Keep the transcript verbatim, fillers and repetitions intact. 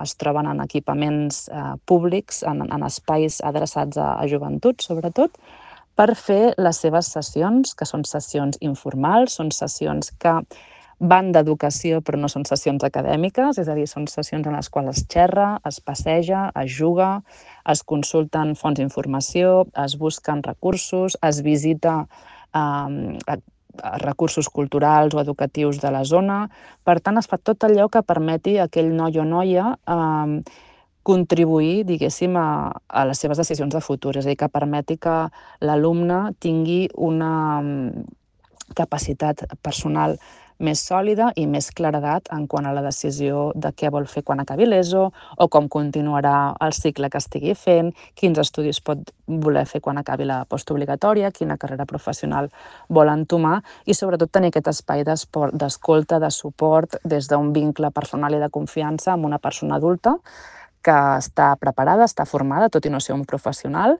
es troben en equipaments eh, públics, en, en espais adreçats a, a joventut, sobretot, per fer les seves sessions, que són sessions informals, són sessions que van d'educació però no són sessions acadèmiques, és a dir, són sessions en les quals es xerra, es passeja, es juga, es consulten fonts d'informació, es busquen recursos, es visita eh, recursos culturals o educatius de la zona. Per tant, es fa tot allò que permeti a aquell noi o noia eh, contribuir, diguéssim, a, a les seves decisions de futur, és a dir, que permeti que l'alumne tingui una capacitat personal més sòlida i més claredat en quant a la decisió de què vol fer quan acabi l'ESO o com continuarà el cicle que estigui fent, quins estudis pot voler fer quan acabi la postobligatòria, quina carrera professional vol entomar i sobretot tenir aquest espai d'escolta, de suport des d'un vincle personal i de confiança amb una persona adulta que està preparada, està formada, tot i no ser un professional,